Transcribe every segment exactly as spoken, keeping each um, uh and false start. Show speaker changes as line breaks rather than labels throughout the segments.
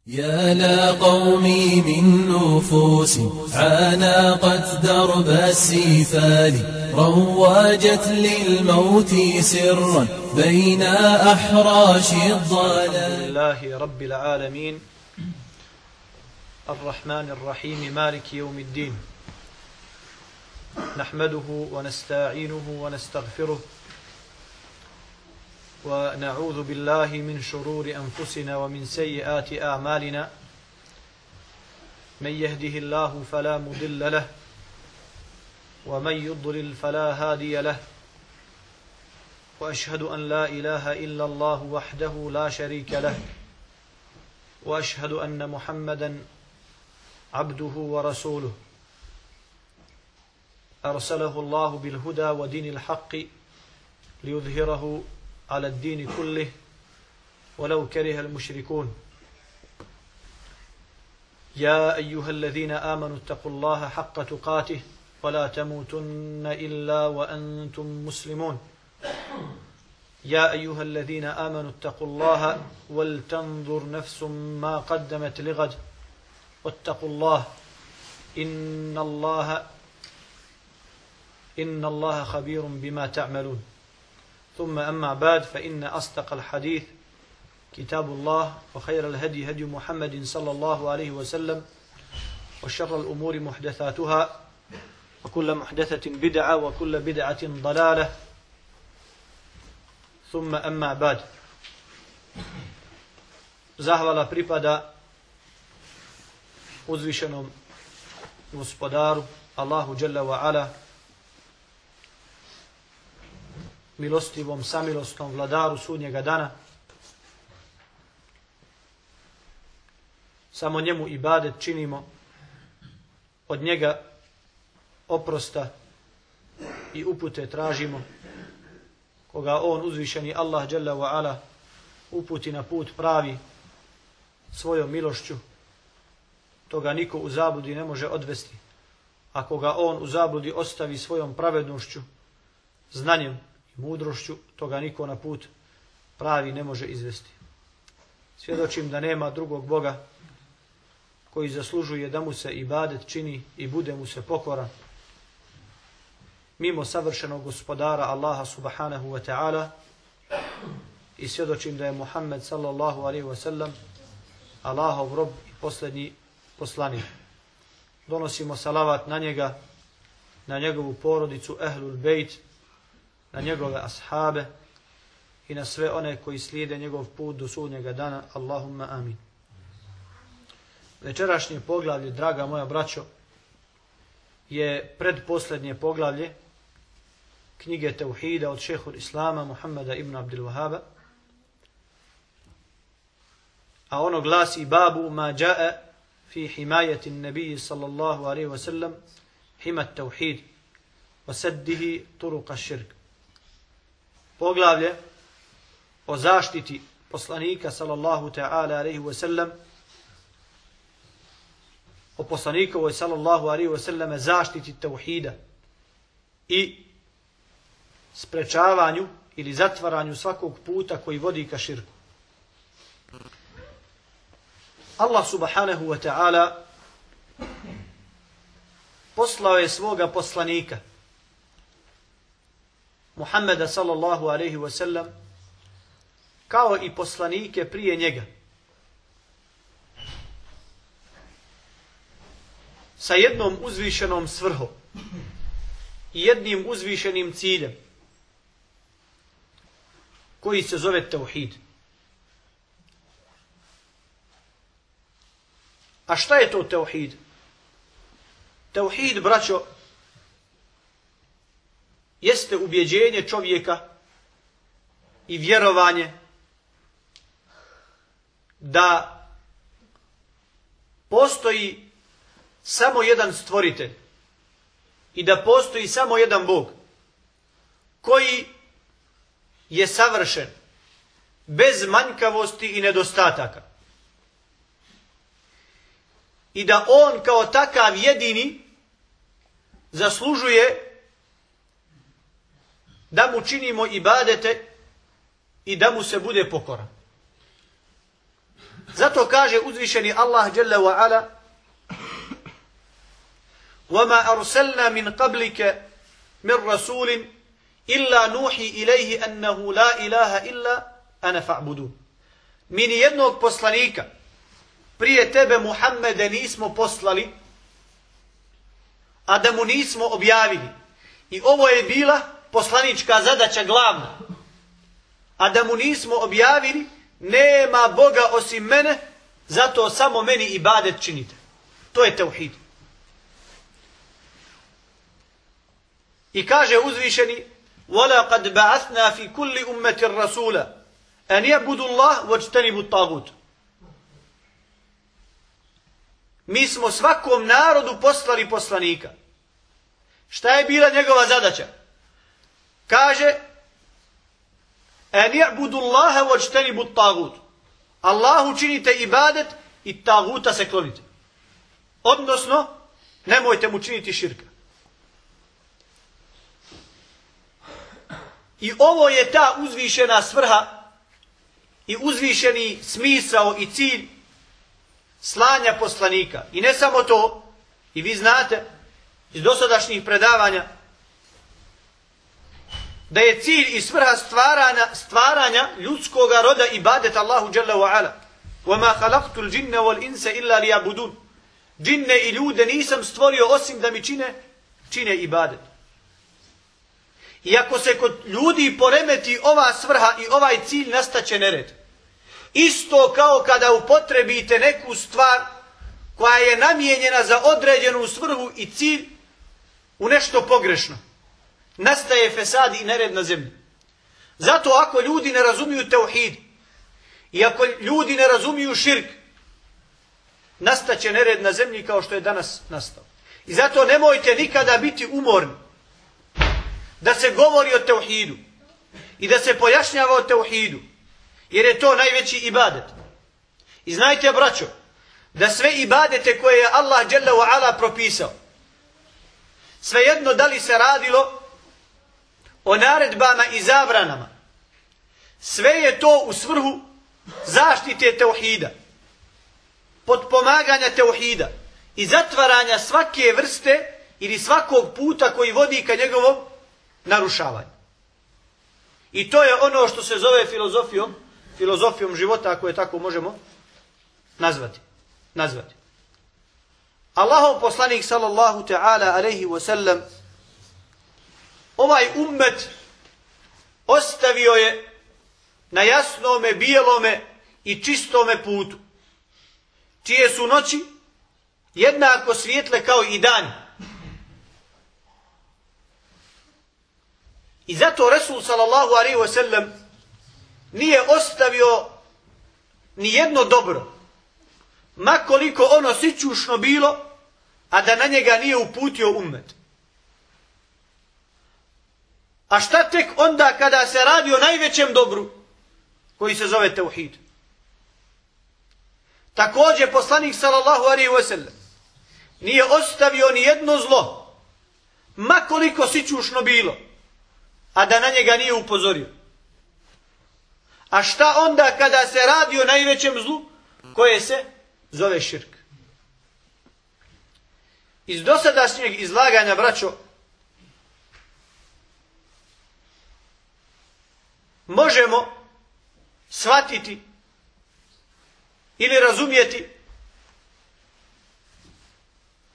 يا لقومي من نفوس عانقت درب السفال رواجت للموت سرا بين أحراش الضلال.
لله رب العالمين الرحمن الرحيم مالك يوم الدين نحمده ونستعينه ونستغفره ونعوذ بالله من شرور أنفسنا ومن سيئات أعمالنا من يهده الله فلا مضل له ومن يضلل فلا هادي له وأشهد أن لا إله إلا الله وحده لا شريك له وأشهد أن محمدا عبده ورسوله أرسله الله بالهدى ودين الحق ليظهره على الدين كله ولو كره المشركون. يا أيها الذين آمنوا اتقوا الله حق تقاته ولا تموتن إلا وأنتم مسلمون. يا أيها الذين آمنوا اتقوا الله ولتنظر نفس ما قدمت لغد واتقوا الله إن الله إن الله خبير بما تعملون. ثم أما بعد فإن أصدق الحديث كتاب الله وخير الهدي هدي محمد صلى الله عليه وسلم وشر الأمور محدثاتها وكل محدثة بدعة وكل بدعة ضلالة. ثم أما بعد. Zahvala pripada uzvišenom gospodaru Allahu dželle ve ala, milostivom, samilosnom vladaru sudnjega dana. Samo njemu ibadet činimo, od njega oprosta i upute tražimo. Koga on, uzvišeni Allah dželle ve ala, uputi na put pravi svojom milošću, toga niko u zabludi ne može odvesti. A koga on u zabludi ostavi svojom pravednošću, znanjem, mudrošću, toga niko na put pravi ne može izvesti. Svjedočim da nema drugog Boga koji zaslužuje da mu se ibadet čini i bude mu se pokoran mimo savršenog gospodara Allaha subhanahu wa ta'ala, i svjedočim da je Muhammed sallallahu alaihi wa sallam Allahov rob i posljednji poslanik. Donosimo salavat na njega, na njegovu porodicu ehlul bejt, na njegove ashabe i na sve one koji slijede njegov put do sudnjega dana. Allahumma amin. Večerašnje poglavlje, draga moja braćo, je predposljednje poglavlje knjige Tauhida od šehhul Islama Muhammeda ibn Abdul Wahaba, a ono glasi: babu ma jaa fi himayati an-nabiy sallallahu alaihi wa sallam himat tauhid wa saddihi turuq ash-shirk. Poglavlje o zaštiti poslanika sallallahu ta'ala alaihi wa sallam, o poslanikovoj sallallahu alaihi wa sallam zaštiti tauhida i sprečavanju ili zatvaranju svakog puta koji vodi ka širku. Allah subhanahu wa ta'ala poslao je svoga poslanika Muhammeda sallallahu alaihi wa sallam kao i poslanike prije njega sa jednom uzvišenom svrhom i jednim uzvišenim ciljem koji se zove tauhid. A šta je to tauhid? Tauhid, braćo, jeste ubjeđenje čovjeka i vjerovanje da postoji samo jedan stvoritelj i da postoji samo jedan Bog koji je savršen, bez manjkavosti i nedostataka, i da on kao takav jedini zaslužuje da mu činimo ibadete i da mu se bude pokoran. Zato kaže uzvišeni Allah dželle ve ala: وَمَا أَرْسَلْنَا مِنْ قَبْلِكَ مِنْ رَسُولٍ إِلَّا نُوحِي إِلَيْهِ أَنَّهُ لَا إِلَهَ إِلَّا أَنَا فَاعْبُدُونَ. Mi ni jednog poslanika prije tebe Muhammede nismo poslali, a da mu nismo objavili. I ovo je bila poslanička zadaća glavna. A da mu nismo objavili: nema Boga osim mene, zato samo meni ibadet činite. To je tauhid. I kaže uzvišeni: وَلَقَدْ بَعَثْنَا فِي كُلِّ أُمَّةٍ رَسُولًا أَنْ يَعْبُدُوا اللَّهَ وَاجْتَنِبُوا الطَّاغُوتَ. Mi smo svakom narodu poslali poslanika. Šta je bila njegova zadaća? Kaže: أَنْ يَعْبُدُوا اللَّهَ وَاجْتَنِبُوا الطَّاغُوتَ. Allahu činite ibadet i taguta se klonite. Odnosno, nemojte mu činiti širka. I ovo je ta uzvišena svrha i uzvišeni smisao i cilj slanja poslanika. I ne samo to, i vi znate iz dosadašnjih predavanja da je cilj i svrha stvaranja, stvaranja ljudskog roda ibadet Allahu dželle ve ala. وَمَا خَلَقْتُ الْجِنَّ وَالْإِنْسَ إِلَّا لِيَعْبُدُونَ. Džinne i ljude nisam stvorio osim da mi čine, čine ibadet. I ako se kod ljudi poremeti ova svrha i ovaj cilj, nastaće nered. Isto kao kada upotrebite neku stvar koja je namijenjena za određenu svrhu i cilj u nešto pogrešno. Nastaje fesad i nered na zemlji. Zato ako ljudi ne razumiju tauhid i ako ljudi ne razumiju širk, nastaće nered na zemlji kao što je danas nastao. I zato nemojte nikada biti umorni da se govori o tauhidu i da se pojašnjava o tauhidu, jer je to najveći ibadet. I znajte, braćo, da sve ibadete koje je Allah dželle ve ala propisao, svejedno da li se radilo o naredbama i zabranama, sve je to u svrhu zaštite tauhida, potpomaganja tauhida i zatvaranja svake vrste ili svakog puta koji vodi ka njegovom narušavanju. I to je ono što se zove filozofijom, filozofijom života, ako je tako možemo nazvati. nazvati. Allahov poslanik sallallahu ta'ala alejhi ve sellem ovaj ummet ostavio je na jasnome, bijelome i čistome putu, čije su noći jednako svijetle kao i dan. I zato Resul sallallahu alejhi ve sellem nije ostavio ni jedno dobro, ma koliko ono sićušno bilo, a da na njega nije uputio ummet. A šta tek onda kada se radi o najvećem dobru, koji se zove tauhid? Također poslanik sallallahu alejhi ve sellem nije ostavio ni jedno zlo, ma koliko sićušno bilo, a da na njega nije upozorio. A šta onda kada se radi o najvećem zlu, koje se zove širk? Iz dosadašnjeg izlaganja, braćo, možemo shvatiti ili razumjeti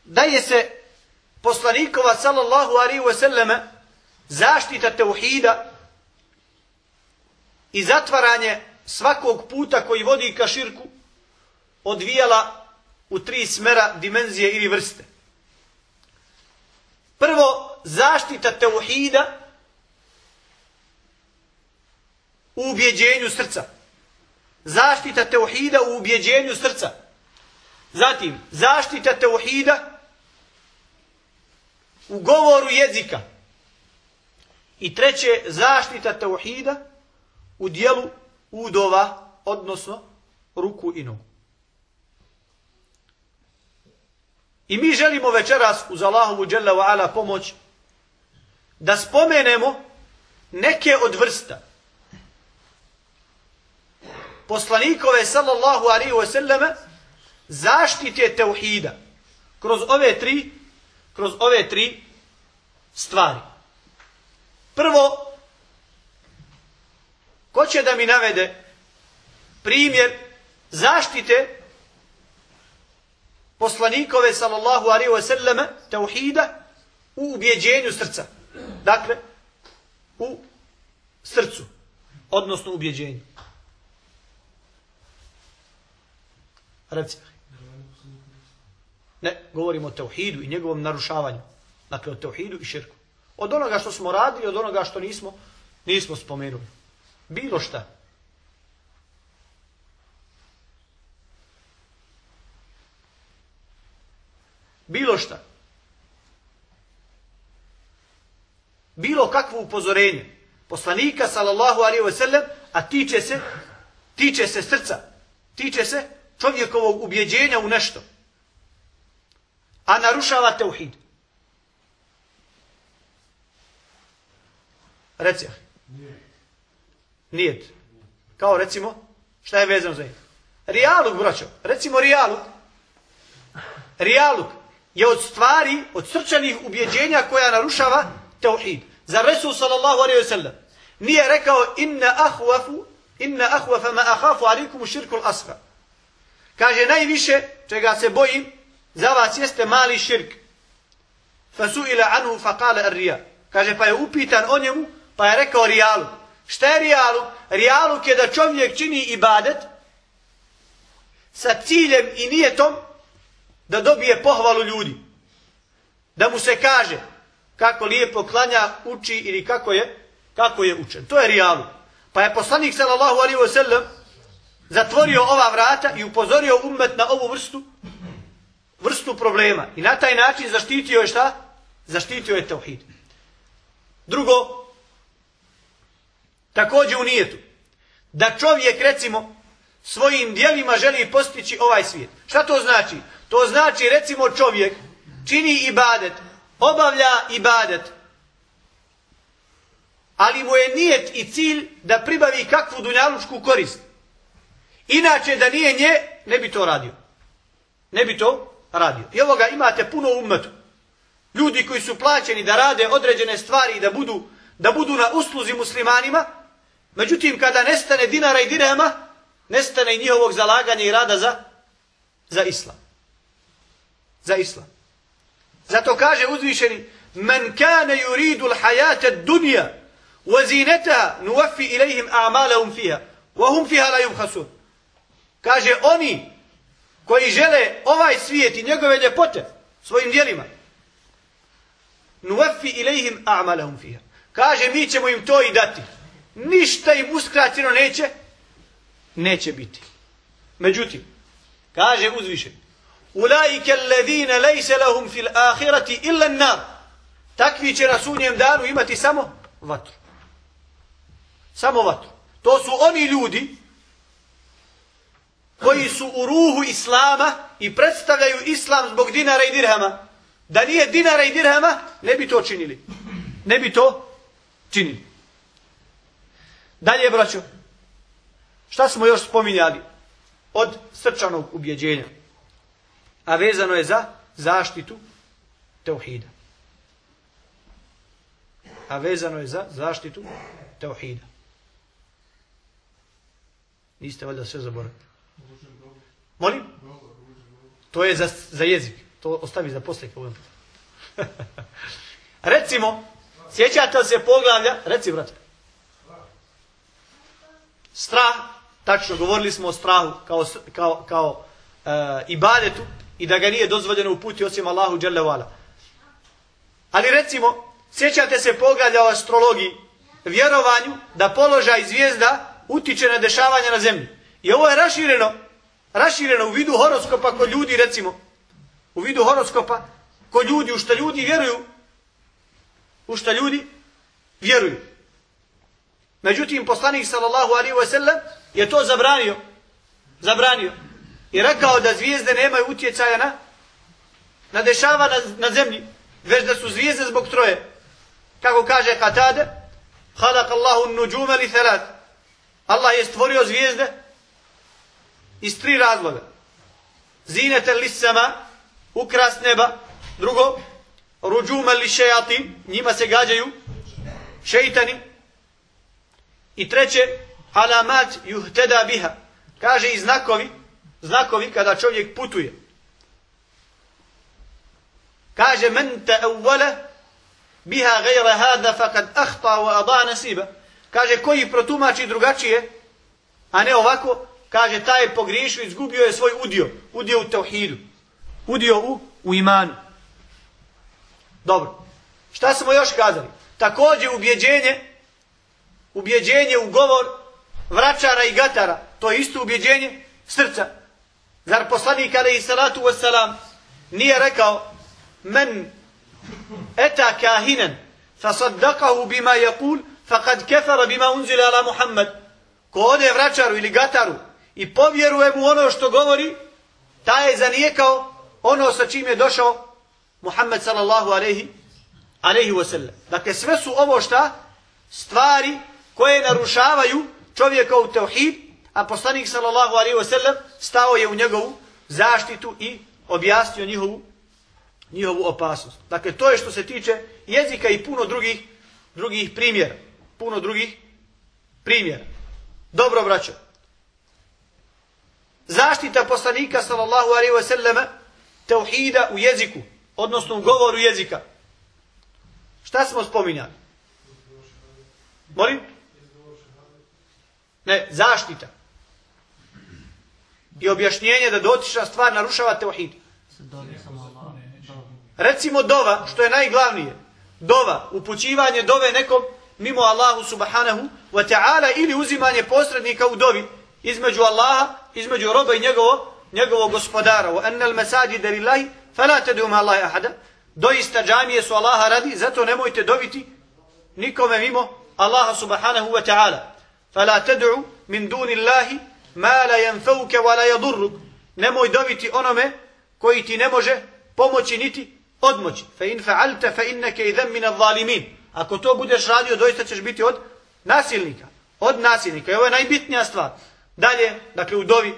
da je se poslanikova sallallahu alejhi ve selleme zaštita tauhida i zatvaranje svakog puta koji vodi ka širku odvijala u tri smera, dimenzije ili vrste. Prvo, zaštita tauhida u ubjeđenju srca. Zaštita tauhida u ubjeđenju srca. Zatim, zaštita tauhida u govoru jezika. I treće, zaštita tauhida u dijelu udova, odnosno ruku i nogu. I mi želimo večeras uz Allahovu dželle ve ala pomoć da spomenemo neke od vrsta poslanikove sallallahu alaihi wa sallame zaštite tauhida kroz ove tri kroz ove tri stvari. Prvo, ko će da mi navede primjer zaštite poslanikove sallallahu alaihi wa sallame tauhida u ubjeđenju srca. Dakle, u srcu, odnosno ubjeđenju. Reci. Ne, govorimo o tauhidu i njegovom narušavanju. Dakle, o tauhidu i širku. Od onoga što smo radili, od onoga što nismo, nismo spomenuli. Bilo šta. Bilo šta. Bilo kakvo upozorenje poslanika sallallahu alejhi ve sellem, a tiče se tiče se srca, tiče se čovjekovog ubjeđenja u nešto, a narušava tauhid. Reci. Nijet. Kao recimo, šta je vezano za njih? Rijaluk, braćo. Recimo rijaluk. Rijaluk je od stvari, od srčanih ubjeđenja koja narušava tauhid. Za Resul sallallahu alejhi ve sellem nije rekao inna ahwafu inna ahwafa ma akhafu alaykum ash-shirku al-asghar. Kaže najviše čega se bojim za vas jeste mali širk. Fasuila anhu faqala ar-riya. Kaže pa je upitan o njemu, pa je rekao rijaluk. Šta je rijaluk? Rijaluk je da čovjek čini ibadet sa ciljem i nijetom da dobije pohvalu ljudi. Da mu se kaže kako lijepo klanja, uči ili kako je kako je učen. To je rijaluk. Pa je poslanik sallallahu alejhi ve sellem zatvorio ova vrata i upozorio ummet na ovu vrstu vrstu problema. I na taj način zaštitio je šta? Zaštitio je tauhid. Drugo, također u nijetu, da čovjek recimo svojim djelima želi postići ovaj svijet. Šta to znači? To znači recimo čovjek čini ibadet, obavlja ibadet, ali mu je nijet i cilj da pribavi kakvu dunjalučku korist. Inače da nije nje, ne bi to radio. Ne bi to radio. I ovoga imate puno u ummetu. Ljudi koji su plaćeni da rade određene stvari i da budu, da budu na usluzi muslimanima, međutim kada nestane dinara i dirhema, nestane i njihovog zalaganja i rada za, za islam. Za islam. Zato kaže uzvišeni: "Men kana yuridu al-hayata ad-dunya wa zinataha nuwaffi ilayhim a'malahum fiha wa hum fiha la yubkhasun." Kaže oni koji žele ovaj svijet i njegove ljepote svojim djelima, nuwaffi ilayhim a'malahum fiha. Kaže mi ćemo im to i dati. Ništa im uskraćeno neće neće biti. Međutim, kaže uzvišeni: "Ulaika alladhina laysa lahum fil akhirati illa an-nar." Takvi će na sudnjem danu imati samo vatru. Samo vatru. To su oni ljudi koji su u ruhu islama i predstavljaju islam zbog dinara i dirhama. Da nije dinara i dirhama, ne bi to činili. Ne bi to činili. Dalje, braćo, šta smo još spominjali od srčanog ubjeđenja? A vezano je za zaštitu tauhida. A vezano je za zaštitu tauhida. Niste valjda sve zaboravili? Molim? To je za, za jezik. To ostavi za poslije. Recimo, sjećate se poglavlja, reci brate. Strah, tačno, govorili smo o strahu kao, kao, kao uh, ibadetu i da ga nije dozvoljeno uputiti osim Allahu dželle vala. Ali recimo, sjećate se poglavlja o astrologiji, vjerovanju da položaj zvijezda utiče na dešavanja na zemlji. I ovo je rašireno, rašireno u vidu horoskopa kod ljudi, recimo. U vidu horoskopa kod ljudi, u šta ljudi vjeruju. U šta ljudi vjeruju. Međutim, poslanik sallallahu alejhi ve sellem je to zabranio. Zabranio. I rekao da zvijezde nemaju utjecaja na, na dešava na, na zemlji, već da su zvijezde zbog troje. Kako kaže Katade: "Khalaqa Allahu an-nujuma li thalath." Allah je stvorio zvijezde iz tri razloga. Zinete lisama, ukras neba. Drugo, ruđuma li šejati, njima se gađaju šeitani. I treće, alamat juhteda biha. Kaže i znakovi, znakovi kada čovjek putuje. Kaže men ta'awwala biha ghayra hada faqad akhta wa ada nasiba. Kaže koji protumači drugačije, a ne ovako, kaže taj je pogriješio, izgubio je svoj udio, udio u tauhidu, udio u, u imanu. Dobro. Šta smo još kazali? Također ubjeđenje, ubjeđenje u govor vračara i gatara, to je isto ubjeđenje srca. Zar poslanik alejhi salatu vesselam nije rekao men eta kahinan fasaddaqahu bima yaqul faqad kafara bima unzila ala Muhammad. Ko ode vračaru ili gataru i povjeruje mu ono što govori, taj je zanijekao ono sa čim je došao Muhammed sallallahu alejhi alejhi ve sellem. Dakle sve su ovo šta stvari koje narušavaju čovjekov tauhid, a poslanik sallallahu alejhi ve sellem stao je u njegovu zaštitu i objasnio njihovu njihovu opasnost. Dakle to je što se tiče jezika i puno drugih drugih primjera, puno drugih primjera. Dobro braćo. Zaštita poslanika sallallahu alejhi ve sellem tauhida u jeziku, odnosno u govoru jezika. Šta smo spominjali? Molim? Ne, zaštita. I objašnjenje da dotična stvar narušava tauhid. Recimo dova, što je najglavnije. Dova, upućivanje dove nekom mimo Allahu subhanahu wa ta'ala ili uzimanje posrednika u dovi između Allaha, između roba i njegovo, njegovog gospodara. Wa annal masajida lillahi fala tad'u ma Allahi ahada. Doista džamije su Allaha radi, zato nemojte doviti nikome mimo Allaha subhanahu wa ta'ala. Fala tad'u min duni Allahi ma la yanfauka wa la yadurruk. Nemoj doviti onome koji ti ne može pomoći niti odmoći. Fa in fa'alta fa innaka idhan min adh-dhalimin. Ako to budeš radio, doista ćeš biti od nasilnika. Od nasilnika. I ovo je najbitnija stvar. Dalje, dakle u dovi.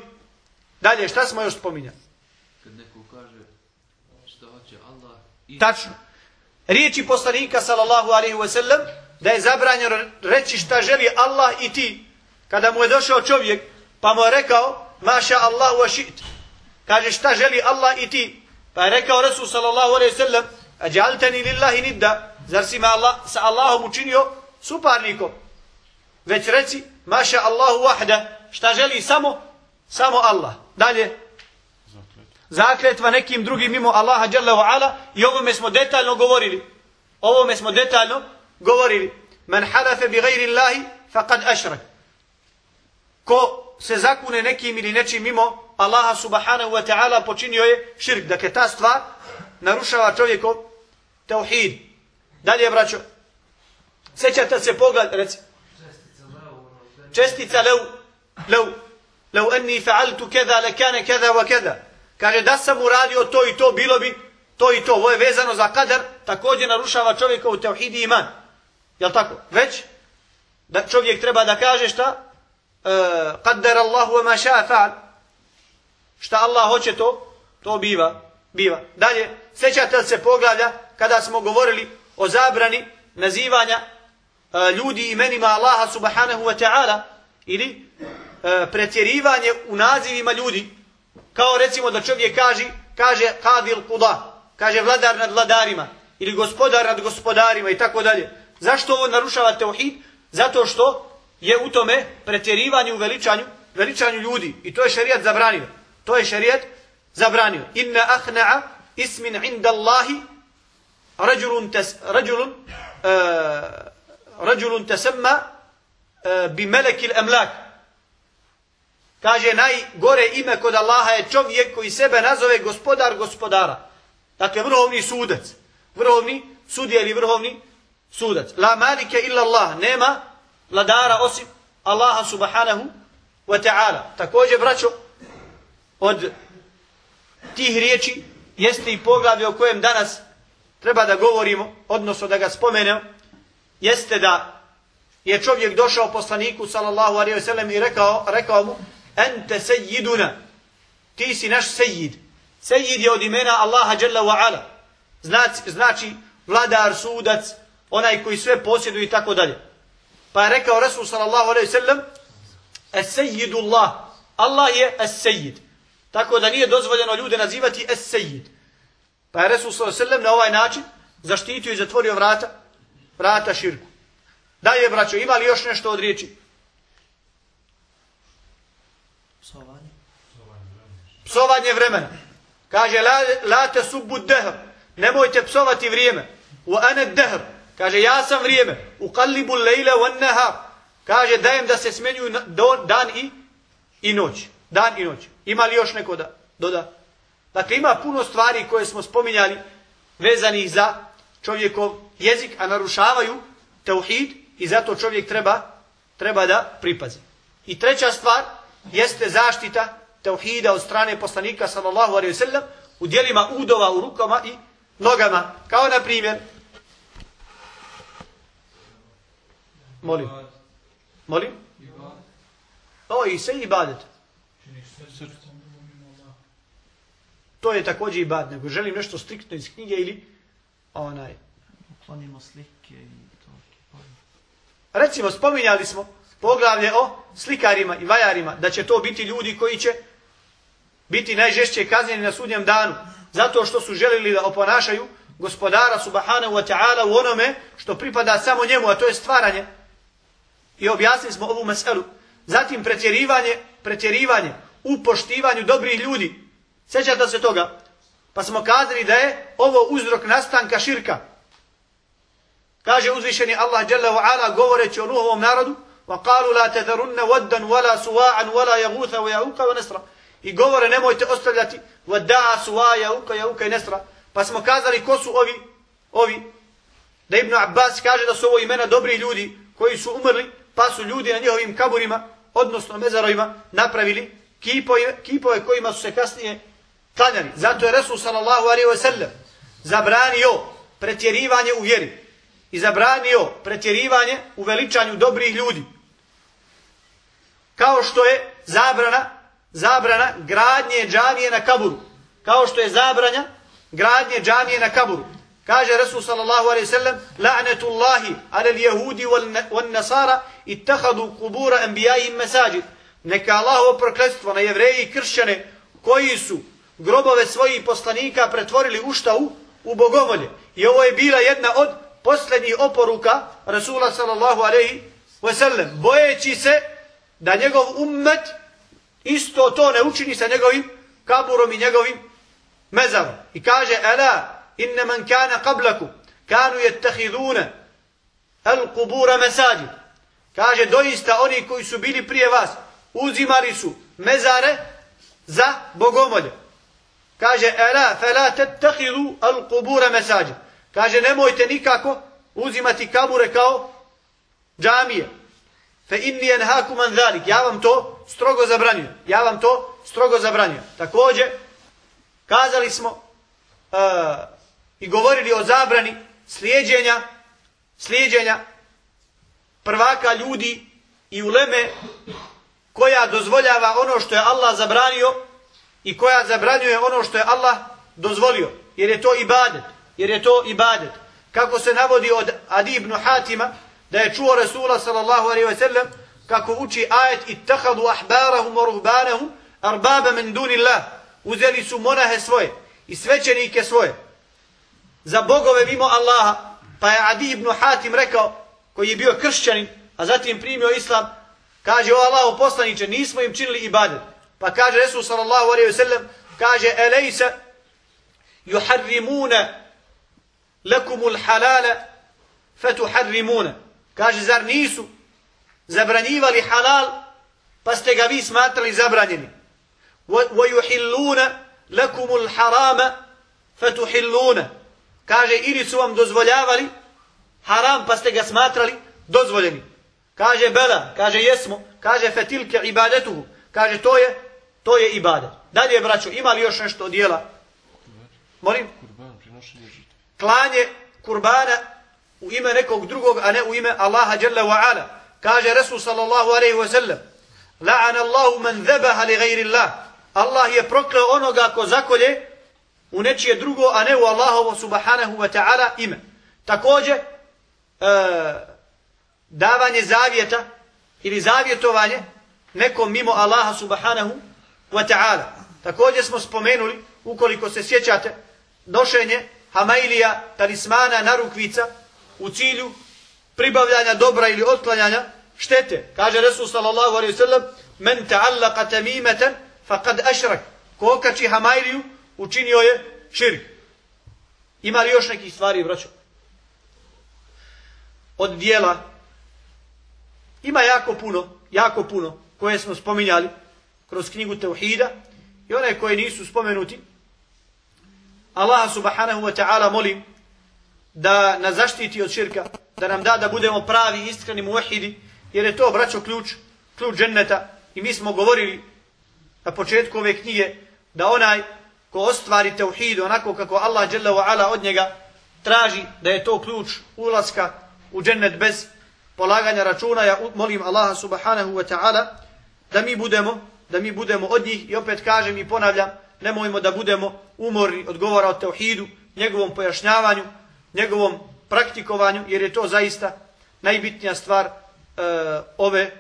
Dalje, šta smo još spominjali?
Kad neko kaže šta hoće Allah i...
Tačno. Riječi poslanika sallallahu alejhi ve sellem da je zabranjeno reći šta želi Allah i ti. Kada mu je došao čovjek pa mu je rekao maša Allahu wa ši't. Kaže šta želi Allah i ti. Pa je rekao Rasul sallallahu alejhi ve sellem ajaltani lillahi nidda. Zar si me Allah, sa Allahom učinio suparnikom? Već reci maša Allahu wahda. Šta želi samo samo Allah. Dalje. Zakletva nekim drugim mimo Allaha dželle ve ala, i ovome smo detaljno govorili. Ovome smo detaljno govorili. Man halafa bi ghairi Allahi faqad ashrak. Ko se zakune nekim ili nečim mimo Allaha subhanahu wa ta'ala počinio je širk. Dakle ta stvar narušava čovjekov tauhid. Dalje braćo. Sećate se pogled, reci. Čestica lev, lev, lev anni fa'altu kada lakana kada wa kada. Kaže da sam uradio to i to, bilo bi to i to. Ovo je vezano za kadar, također narušava čovjekov tauhid i iman. Jel tako? Već da čovjek treba da kaže šta? Qaddara Allahu wa ma sha'a fa'al. Šta Allah hoće to, to biva, biva. Dalje, sećate se poglavlja kada smo govorili o zabrani nazivanja uh, ljudi imenima Allaha subhanahu wa ta'ala ili uh, pretjerivanje u nazivima ljudi, kao recimo da čovjek kaže kaže qadil quda, kaže vladar nad vladarima ili gospodar nad gospodarima i tako dalje. Zašto ovo narušava tauhid? Zato što je u tome pretjerivanje u veličanju, veličanju ljudi, i to je šerijat zabranio. To je šerijat zabranio. Inna ahna'a ismin inda Allahi rajulun tas rajulun uh, rajulun tasamma uh, bi melekil amlak. Kaže najgore ime kod Allaha je čovjek koji sebe nazove gospodar gospodara. Dakle vrhovni sudac, vrhovni sudija ili vrhovni sudac. La malike illa Allah, nema vladara osim Allaha subhanahu wa ta'ala. Također braćo, od tih riječi jeste i poglavlje o kojem danas treba da govorimo, odnosno da ga spomenemo, jeste da je čovjek došao poslaniku sallallahu alejhi ve sellem i rekao, rekao mu ente sejiduna, ti si naš sejid. Sejid je od imena Allaha Jalla wa Ala. Znači, znači vladar, sudac, onaj koji sve posjeduje i tako dalje. Pa je rekao Rasul sallallahu alejhi ve sellem, es-sejidullah, Allah je es-sejid. Tako da nije dozvoljeno ljude nazivati es-sejid. Pa je Rasul sallallahu alejhi ve sellem na ovaj način zaštitio i zatvorio vrata, vrata širku. Dalje, braćo, ima li još nešto od riječi?
Psovanje.
Psovanje vremena. Kaže, la, la te subbu dehr. Nemojte psovati vrijeme. U ane dehr. Kaže, ja sam vrijeme. U kallibu lejle u nehar. Kaže, dajem da se smenjuju dan i, i noć. Dan i noć. Ima li još neko da doda? Dakle, ima puno stvari koje smo spominjali vezanih za čovjekov jezik, a narušavaju tauhid i zato čovjek treba, treba da pripazi. I treća stvar jeste zaštita tauhida od strane poslanika sallallahu alejhi ve sellem u djelima udova u rukama i nogama. Kao na primjer, molim, molim, o i sve ibadet. To je također ibadet, nego želim nešto striktno iz knjige ili onaj.
Uklonimo slike i to.
Recimo, spominjali smo poglavlje o slikarima i vajarima, da će to biti ljudi koji će biti najžešće kažnjeni na sudnjem danu, zato što su želili da oponašaju gospodara subhanahu wa ta'ala u onome što pripada samo njemu, a to je stvaranje. I objasnili smo ovu meselu. Zatim pretjerivanje, pretjerivanje u poštivanju dobrih ljudi. Sjećate se toga? Pa smo kazali da je ovo uzrok nastanka širka. Kaže uzvišeni Allah dželle ve ala govoreći o Nuhovom narodu: "Wa qalu la tadharunna waddan wala suwa'an wala yaghutha wa ya'uqa wa nasra." I govore nemojte ostavljati wadda'a, suwa, ya'uqa, ya'uqa i nasra. Pa smo kazali ko su ovi ovi da Ibn Abbas kaže da su ovo imena dobrih ljudi koji su umrli, pa su ljudi na njihovim kaburima, odnosno mezarovima, napravili kipove, kipove kojima su se kasnije klanjali. Zato je Resul sallallahu alejhi ve sellem zabranio pretjerivanje u vjeri i zabranio pretjerivanje u veličanju dobrih ljudi. Kao što je zabrana, zabrana gradnje džamije na kaburu. Kao što je zabranja gradnje džamije na kaburu. Kaže Resul sallallahu alejhi ve sellem: "La'natullahi 'alal yahudi wan nasara ittakhadhu qubur anbiya'ihim masajid." Neka Allahovo prokletstvo na Jevreje i kršćane koji su grobove svojih poslanika pretvorili u šta u, u bogomolje. I ovo je bila jedna od posljednjih oporuka Rasula sallallahu alejhi ve sellem, bojeći se da njegov ummet isto to ne učini sa njegovim kaburom i njegovim mezarom. I kaže: "Ala inna man kana qablakum kanu yattakhiduna al-qubur masajid." Kaže doista oni koji su bili prije vas uzimali su mezare za bogomolje. Kaže: "Ala fala tattakhidu al-qubur masajid." Kaže nemojte nikako uzimati kabure kao džamije. Fa inni yanhaakum an zalik. Ja vam to strogo zabranjujem. Ja vam to strogo zabranjujem. Također kazali smo uh, i govorili o zabrani slijeđenja slijeđenja prvaka ljudi i uleme koja dozvoljava ono što je Allah zabranio i koja zabranjuje ono što je Allah dozvolio. Jer je to ibadet. Jer je to ibadet. Kako se navodi od Adi ibn Hatima da je čuo Rasula sallallahu alejhi ve sellem kako uči ajet: "Ittakhadu ahbarahum wa ruhbanahum arbaba min dunillah." Uzeli su monahe svoje i svećenike svoje za bogove mimo Allaha. Pa je Adi ibn Hatim rekao, koji je bio kršćanin, a zatim primio islam, kaže: "O Allahu poslanice, nismo im činili ibadet." Pa kaže Resul sallallahu alejhi ve sellem, kaže: "Alaysa yuharrimuna lakumul halala fatuharrimuna." Kaže, zar nisu zabranjivali halal pa ste ga vi smatrali zabranjeni? "Wa yuhilluna lakumul harama fatuhilluna." Kaže, ili su vam dozvoljavali haram pa ste ga smatrali dozvoljeni. Kaže: "Bela." Kaže: "Jesmo." Kaže: "Fatilka ibadatuhu." Kaže, to je to je ibadet. Dalje, braćo, ima li još nešto od djela? Molim?
Kurban, prinošenje žrtve.
Klanje kurbana u ime nekog drugog, a ne u ime Allaha dželle ve ala. Kaže Resul sallallahu alejhi ve sellem: la'ana Allahu man dhabaha li ghayri Allah. Allah je prokleo onoga ko zakolje u nečije drugo, a ne u Allahovo subhanahu wa ta'ala ime. Također, e, davanje zavjeta ili zavjetovanje nekom mimo Allaha subhanahu wa ta'ala. Također smo spomenuli, ukoliko se sjećate, nošenje hamailija, talismana, narukvica u cilju pribavljanja dobra ili otklanjanja štete. Kaže Resul sallallahu alejhi ve sellem: "Men ta'allaqa tamimatan faqad ashrak." Ko okači hamailiju, učinio je širk. Ima li još nekih stvari, braćo? Od dijela ima jako puno, jako puno koje smo spominjali kroz knjigu Tauhida i one koje nisu spomenuti. Allah subhanahu wa ta'ala molim da nas zaštiti od širka, da nam da da budemo pravi, iskreni muvahidi, jer je to, braćo, ključ, ključ dženneta. I mi smo govorili na početku ove knjige da onaj ko ostvari tauhid onako kako Allah dželle ve ala od njega traži, da je to ključ ulaska u džennet bez polaganja računa. Ja molim Allaha subhanahu wa ta'ala da mi budemo, da mi budemo od njih. I opet kažem i ponavljam, nemojmo da budemo umorni od govora o tauhidu, njegovom pojašnjavanju, njegovom praktikovanju, jer je to zaista najbitnija stvar uh, ove,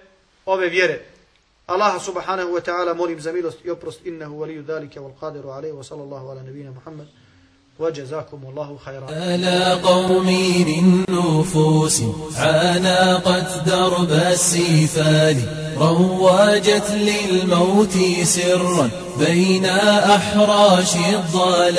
ove vjere. Allah subhanahu wa ta'ala molim za milost i oprost, innehu waliju dhalike wal qadiru alaihi, wa sallallahu ala nabina Muhammad, wa jazakum Allahu khayran.
ألا قومي من نفوس عانقت درب السفال رواجت للموت سرا بين أحراش الضلال